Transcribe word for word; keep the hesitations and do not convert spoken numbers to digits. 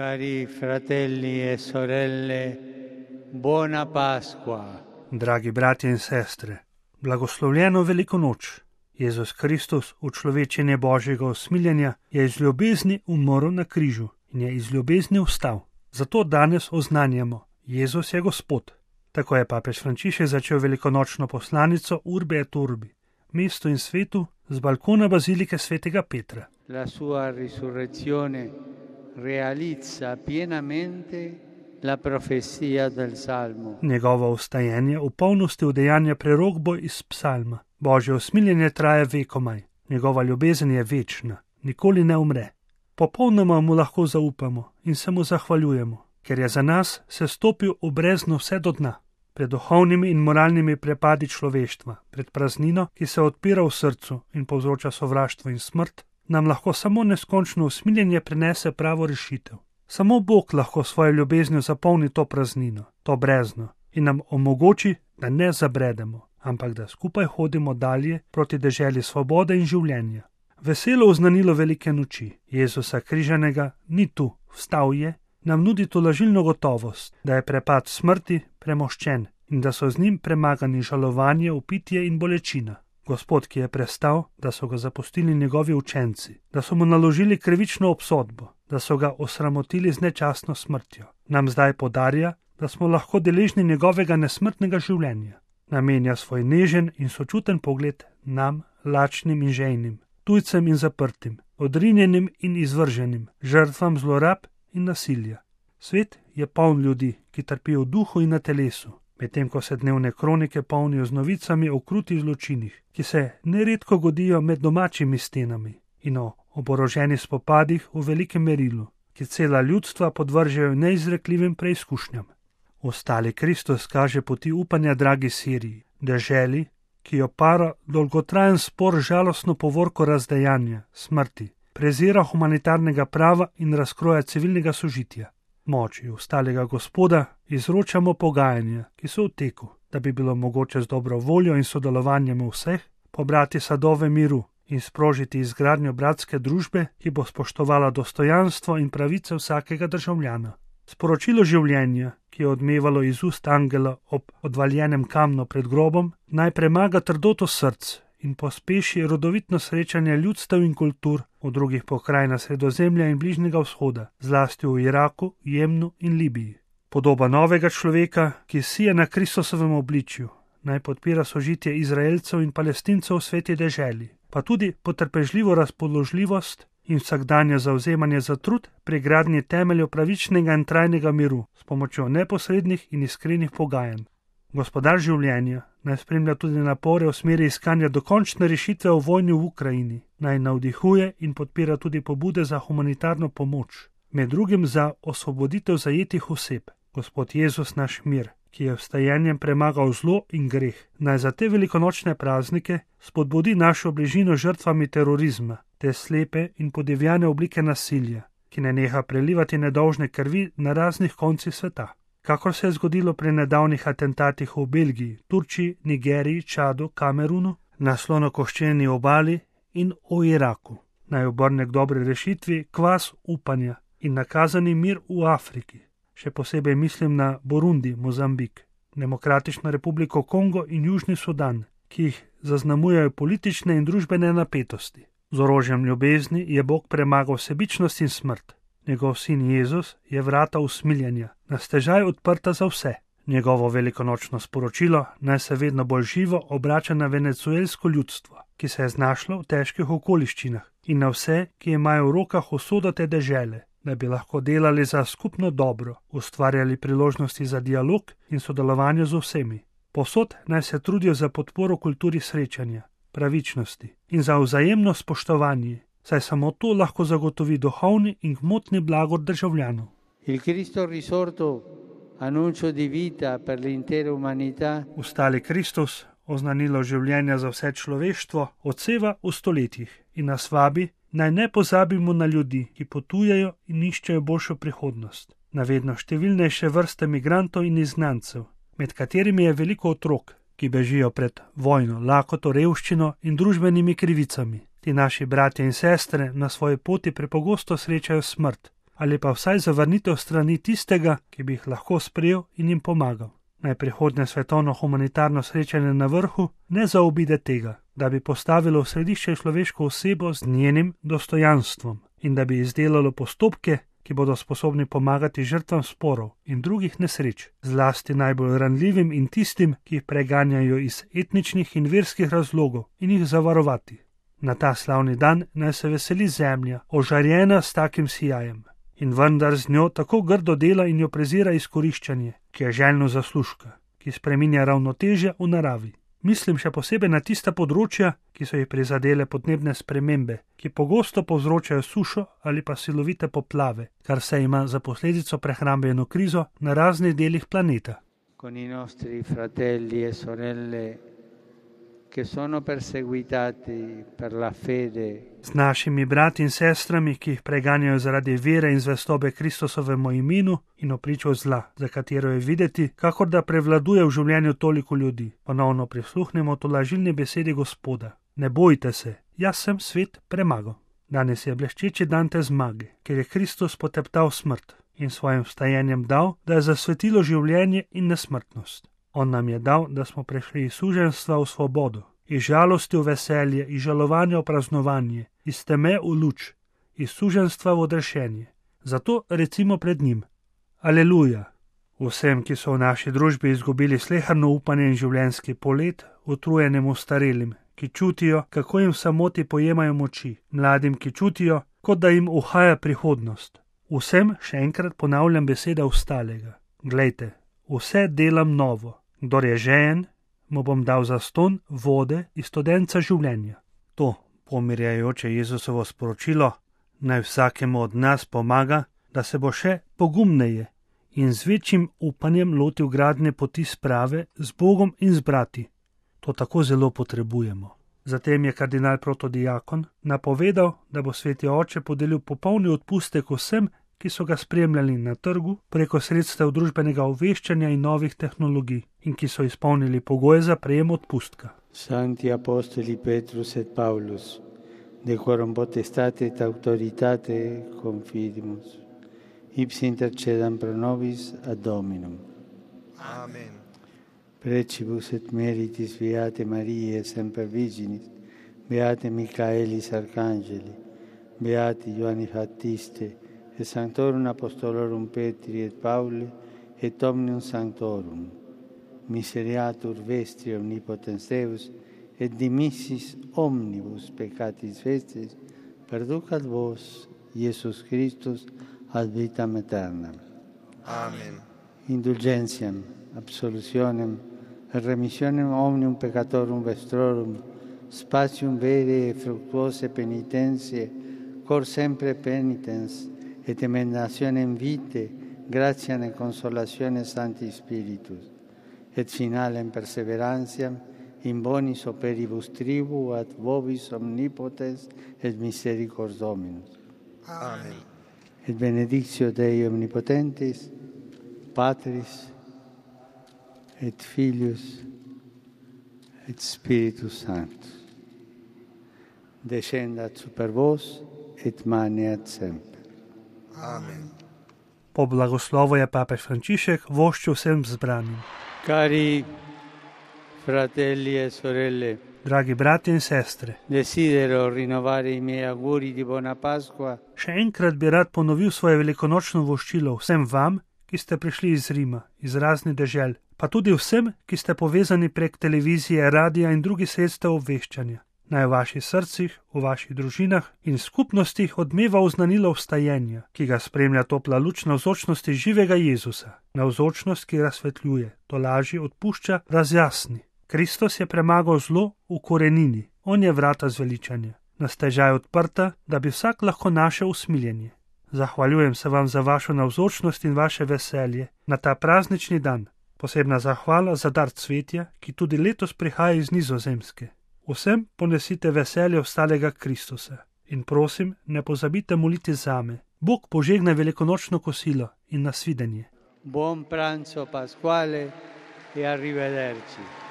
Cari fratelli e sorelle, buona Pasqua. Dragi bratje in sestre, blagoslovljeno veliko noč. Jezus Kristus, učlovečenje Božjega usmiljenja, je iz ljubezni umrl na križu in je iz ljubezni vstal. Zato danes oznanjamo, Jezus je Gospod. Tako je papež Frančišek začel velikonočno poslanico Urbi et Orbi, mestu in svetu, z balkona bazilike svetega Petra. La sua risurrezione realizza pienamente la profezia del Salmo. Njegovo vstajenje v polnosti udejanja prerokbo iz psalma. Božje usmiljenje traja vekomaj. Njegova ljubezen je večna, nikoli ne umre. Popolnoma mu lahko zaupamo in se mu zahvaljujemo, ker je za nas se stopil v brezno vse do dna. Pred duhovnimi in moralnimi prepadi človeštva, pred praznino, ki se odpira v srcu in povzroča sovraštvo in smrt, nam lahko samo neskončno usmiljenje prinese pravo rešitev. Samo Bog lahko svojo ljubeznijo zapolni to praznino, to brezno in nam omogoči, da ne zabredemo, ampak da skupaj hodimo dalje proti deželi svobode in življenja. Veselo oznanilo velike noči Jezusa križanega ni tu, vstal je, nam nudi tolažilno gotovost, da je prepad smrti premoščen in da so z njim premagani žalovanje, upitje in bolečina. Gospod, ki je prestal, da so ga zapustili njegovi učenci, da so mu naložili krivično obsodbo, da so ga osramotili z nečastno smrtjo, nam zdaj podarja, da smo lahko deležni njegovega nesmrtnega življenja. Namenja svoj nežen in sočuten pogled nam, lačnim in žejnim, tujcem in zaprtim, odrinjenim in izvrženim, žrtvam zlorab in nasilja. Svet je poln ljudi, ki trpijo v duhu in na telesu, medtem ko se dnevne kronike polnijo z novicami o krutih zločinih, ki se neredko godijo med domačimi stenami in o oboroženih spopadih v velikem merilu, ki cela ljudstva podvržejo neizrekljivim preizkušnjam. Ostali Kristus kaže poti upanja dragi Siriji, deželi, ki jo para dolgotrajen spor žalostno povorko razdejanja, smrti, prezira humanitarnega prava in razkroja civilnega sožitja. Moči ostalega Gospoda izročamo pogajanja, ki so v teku, da bi bilo mogoče z dobro voljo in sodelovanjem vseh pobrati sadove miru in sprožiti izgradnjo bratske družbe, ki bo spoštovala dostojanstvo in pravice vsakega državljana. Sporočilo življenja, ki je odmevalo iz ust angela ob odvaljenem kamnu pred grobom, naj premaga trdoto src in pospeši rodovitno srečanje ljudstev in kultur v drugih pokrajinah Sredozemlja in Bližnjega vzhoda, zlasti v Iraku, Jemnu in Libiji. Podoba novega človeka, ki sije na Kristusovem obličju, naj podpira sožitje Izraelcev in Palestincev v sveti deželi, pa tudi potrpežljivo razpoložljivost in vsakdanje zauzemanje za trud pri gradnji temeljev pravičnega in trajnega miru s pomočjo neposrednih in iskrenih pogajanj. Gospodar življenja naj spremlja tudi napore v smeri iskanja dokončne rešitve v vojni v Ukrajini, naj navdihuje in podpira tudi pobude za humanitarno pomoč, med drugim za osvoboditev zajetih oseb. Gospod Jezus naš mir, ki je vstajenjem premagal zlo in greh, naj za te velikonočne praznike spodbudi našo bližino žrtvami terorizma, te slepe in podivjane oblike nasilja, ki ne neha prelivati nedolžne krvi na raznih koncih sveta. Kakor se je zgodilo pri nedavnih atentatih v Belgiji, Turčiji, Nigeriji, Čadu, Kamerunu, na slonokoščeni obali in v Iraku. Naj obrne k dobri rešitvi kvas upanja in nakazani mir v Afriki. Še posebej mislim na Burundi, Mozambik, Demokratično republiko Kongo in Južni Sudan, ki jih zaznamujejo politične in družbene napetosti. Z orožjem ljubezni je Bog premagal sebičnost in smrt. Njegov sin Jezus je vrata usmiljenja, na stežaj odprta za vse. Njegovo velikonočno sporočilo naj se vedno bolj živo obrača na venezuelsko ljudstvo, ki se je znašlo v težkih okoliščinah, in na vse, ki imajo v rokah usodo te dežele, da bi lahko delali za skupno dobro, ustvarjali priložnosti za dialog in sodelovanje z vsemi. Povsod naj se trudijo za podporo kulturi srečanja, pravičnosti in za vzajemno spoštovanje, saj samo to lahko zagotovi duhovni in gmotni blagor državljanov. Il Cristo risorto, annuncio di vita per l'intera umanità. Ustali Kristus, oznanilo življenja za vse človeštvo, odseva v stoletjih in nas vabi, naj ne pozabimo na ljudi, ki potujejo in iščejo boljšo prihodnost, na vedno številnejše vrste migrantov in izgnancev, med katerimi je veliko otrok, ki bežijo pred vojno, lakoto, revščino in družbenimi krivicami. Ti naši bratje in sestre na svoji poti prepogosto srečajo smrt ali pa vsaj zavrnitev strani tistega, ki bi jih lahko sprejel in jim pomagal. Naj prihodnje svetovno humanitarno srečanje na vrhu ne zaobide tega, da bi postavilo v središče človeško osebo z njenim dostojanstvom in da bi izdelalo postopke, ki bodo sposobni pomagati žrtvam sporov in drugih nesreč, zlasti najbolj ranljivim in tistim, ki jih preganjajo iz etničnih in verskih razlogov, in jih zavarovati. Na ta slavni dan naj se veseli zemlja, ožarjena s takim sijajem, in vendar z njo tako grdo dela in jo prezira izkoriščanje, ki je željno zaslužka, ki spreminja ravnotežje v naravi. Mislim še posebej na tista področja, ki so jih prizadele podnebne spremembe, ki pogosto povzročajo sušo ali pa silovite poplave, kar se ima za posledico prehrambeno krizo na raznih delih planeta. Con i nostri fratelli e sorelle che sono perseguitati per la fede. Z našimi brati in sestrami, ki jih preganjajo zaradi vere in zvestobe Kristusovemu imenu in opričo zla, za katero je videti, kakor da prevladuje v življenju toliko ljudi. Ponovno prisluhnemo tolažilni besedi Gospoda. Ne bojte se, jaz sem svet premagal. Danes je bleščeči dan te zmage, ker je Kristus poteptal smrt in svojim vstajenjem dal, da je zasvetilo življenje in nesmrtnost. On nam je dal, da smo prešli iz suženjstva v svobodo, iz žalosti v veselje, iz žalovanja v praznovanje, iz teme v luč, iz suženjstva v odrešenje. Zato recimo pred njim: Aleluja! Vsem, ki so v naši družbi izgubili sleherno upanje in življenjski polet, utrujenemu starelim, ki čutijo, kako jim v samoti pojemajo moči, mladim, ki čutijo, kot da jim uhaja prihodnost. Vsem še enkrat ponavljam beseda ostalega. Glejte, vse delam novo. Kdor je žejen, mu bom dal zastonj vode iz studenca življenja. To pomirjajoče Jezusovo sporočilo naj vsakemu od nas pomaga, da se bo še pogumneje in z večjim upanjem lotil gradnje poti sprave z Bogom in z brati. To tako zelo potrebujemo. Zatem je kardinal protodiakon napovedal, da bo sveti oče podelil popolni odpustek vsem, ki so ga spremljali na trgu preko sredstev družbenega obveščanja in novih tehnologij in ki so izpolnili pogoje za prejem odpustka. Sancti apostoli Petrus et Paulus, decorum potestate et autoritate confidimus, ipsi intercedam pro nobis ad Dominum. Amen. Precibus et meritis beate Mariae semper Virginis, beate Michaelis Arcangeli, beati Ioanni Baptiste, et Sanctorum Apostolorum Petri et Pauli, et omnium Sanctorum, miseriatur vestri omnipotens Deus, et dimissis omnibus peccatis vestis, perducat vos, Iesus Christus, ad vitam aeternam. Amen. Indulgentiam, absolutionem, et remissionem omnium peccatorum vestrorum, spatium vere et fructuose penitentiae, cor sempre penitens, et emendationem vitae, gratiam et consolationem Sancti Spiritus, et finalem perseverantiam in bonis operibus tribu ad vobis omnipotens et misericors Dominus. Amen. Et benedictio Dei omnipotentis, Patris et Filius et Spiritus Sanctus, descendat super vos et maneat semper. Amen. Po blagoslovu je papež Frančišek voščil vsem zbranim. Cari fratelli e sorelle, Dragi brati in sestre, desidero rinnovare i miei auguri di buona Pasqua še enkrat bi rad ponovil svoje velikonočno voščilo vsem vam, ki ste prišli iz Rima, iz raznih dežel, pa tudi vsem, ki ste povezani prek televizije, radia in drugih sredstev obveščanja. Naj v vaših srcih, v vaših družinah in skupnostih odmeva oznanilo vstajenja, ki ga spremlja topla luč navzočnosti živega Jezusa, navzočnost, ki razsvetljuje, tolaži, odpušča, razjasni. Kristus je premagal zlo v korenini, on je vrata zveličanja, nastežaj odprta, da bi vsak lahko našel usmiljenje. Zahvaljujem se vam za vašo navzočnost in vaše veselje na ta praznični dan. Posebna zahvala za dar cvetja, ki tudi letos prihaja iz Nizozemske. Vsem ponesite veselje ostalega Kristusa in prosim, ne pozabite moliti zame. Bog požegne velikonočno kosilo in nasvidenje. buon pranzo pasquale e arrivederci.